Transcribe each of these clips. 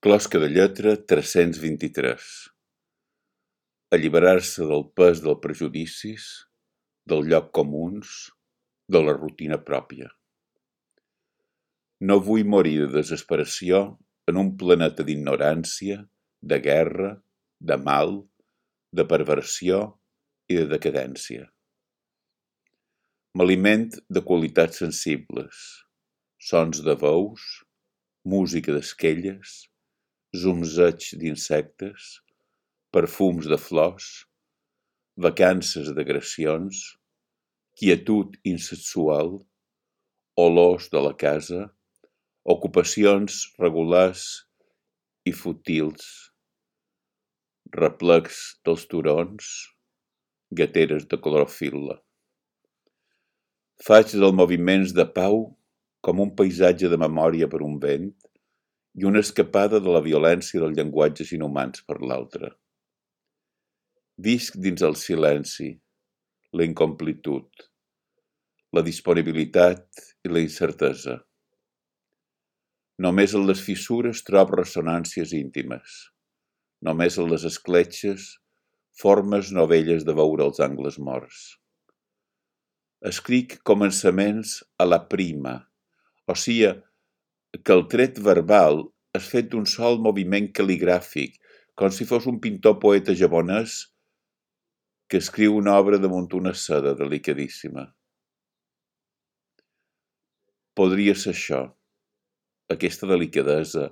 Closca de lletra 323. Alliberar-se del pes dels prejudicis, del lloc comuns, de la rutina pròpia. No vull morir de desesperació en un planeta d'ignorància, de guerra, de mal, de perversió i de decadència. M'aliment de qualitats sensibles, sons de veus, música d'esquelles, zumzeig d'insectes, perfums de flors, vacances d'agressions, quietud insexual, olors de la casa, ocupacions regulars i fútils, replecs dels turons, gateres de clorofil·la. Faig dels moviments de pau com un paisatge de memòria per un vent i una escapada de la violència dels llenguatges inhumans per l'altre. Visc dins el silenci, la incomplitud, la disponibilitat i la incertesa. Només en les fissures trobo ressonàncies íntimes. Només en les escletxes, formes novelles de veure els angles morts. Escric començaments a la prima, o sigui que el tret verbal és fet d'un sol moviment cal·ligràfic, com si fos un pintor poeta japonès que escriu una obra damunt una seda delicadíssima. Podria ser això, aquesta delicadesa,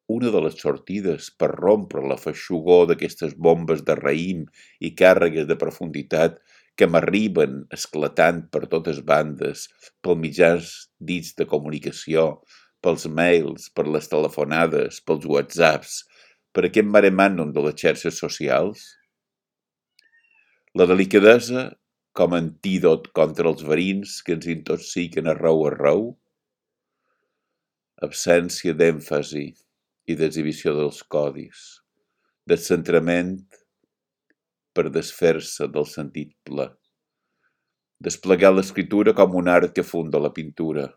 una de les sortides per rompre la feixugor d'aquestes bombes de raïm i càrregues de profunditat que m'arriben esclatant per totes bandes, pels mitjans dits de comunicació, pels mails, per les telefonades, pels whatsapps, per aquest mare magnum de les xarxes socials? La delicadesa com a antídot contra els verins que ens intoxiquen arreu, absència d'èmfasi i d'exhibició dels codis, descentrament per desfer-se del sentit ple, desplegar l'escriptura com un art que funda la pintura,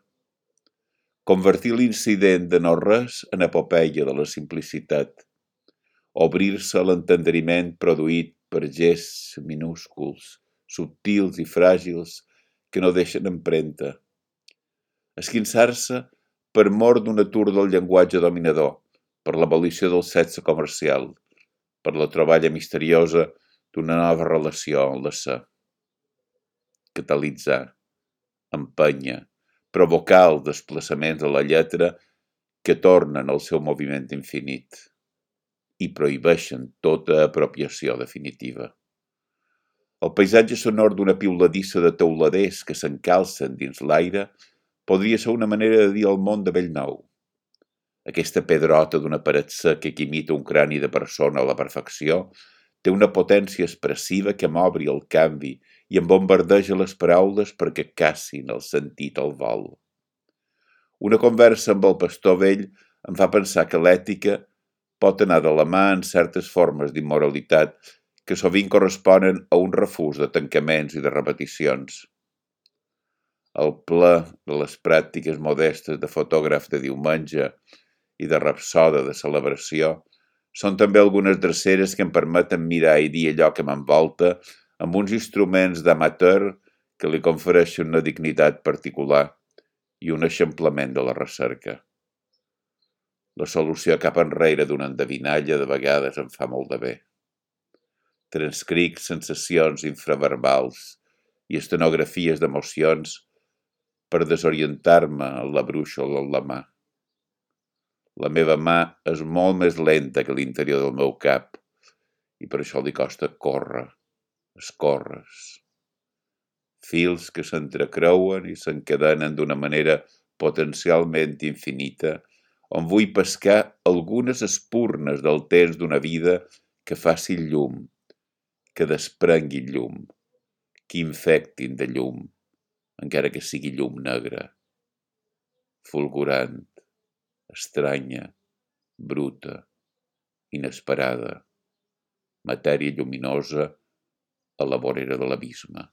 convertir l'incident de no-res en epopeia de la simplicitat, obrir-se a l'entendriment produït per gests minúsculs, subtils i fràgils que no deixen empremta, esquinçar-se per mor d'un atur del llenguatge dominador, per l'abolició del sexe comercial, per la troballa misteriosa d'una nova relació en l'ésser. Catalitzar, empènyer, provocar el desplaçament de la lletra que tornen al seu moviment infinit i prohibeixen tota apropiació definitiva. El paisatge sonor d'una piuladissa de teuladers que s'encalcen dins l'aire podria ser una manera de dir al món de bell nou. Aquesta pedrota d'una paret seca que imita un crani de persona a la perfecció té una potència expressiva que m'obri el canvi i em bombardeja les paraules perquè cassin el sentit al vol. Una conversa amb el pastor vell em fa pensar que l'ètica pot anar de la mà en certes formes d'immoralitat que sovint corresponen a un refús de tancaments i de repeticions. El ple de les pràctiques modestes de fotògraf de diumenge i de rapsoda de celebració són també algunes dreceres que em permeten mirar i dir allò que m'envolta amb uns instruments d'amateur que li confereixen una dignitat particular i un eixamplament de la recerca. La solució cap enrere d'una endevinalla de vegades em fa molt de bé. Transcric sensacions infraverbals i estenografies d'emocions per desorientar-me en la brúixola en la mà. La meva mà és molt més lenta que l'interior del meu cap i per això li costa córrer, escórrer. Fils que s'entrecreuen i s'encadenen d'una manera potencialment infinita on vull pescar algunes espurnes del temps d'una vida que faci llum, que desprengui llum, que infectin de llum, encara que sigui llum negra, fulgurant, estranya, bruta, inesperada, matèria lluminosa a la vorera de l'abisme.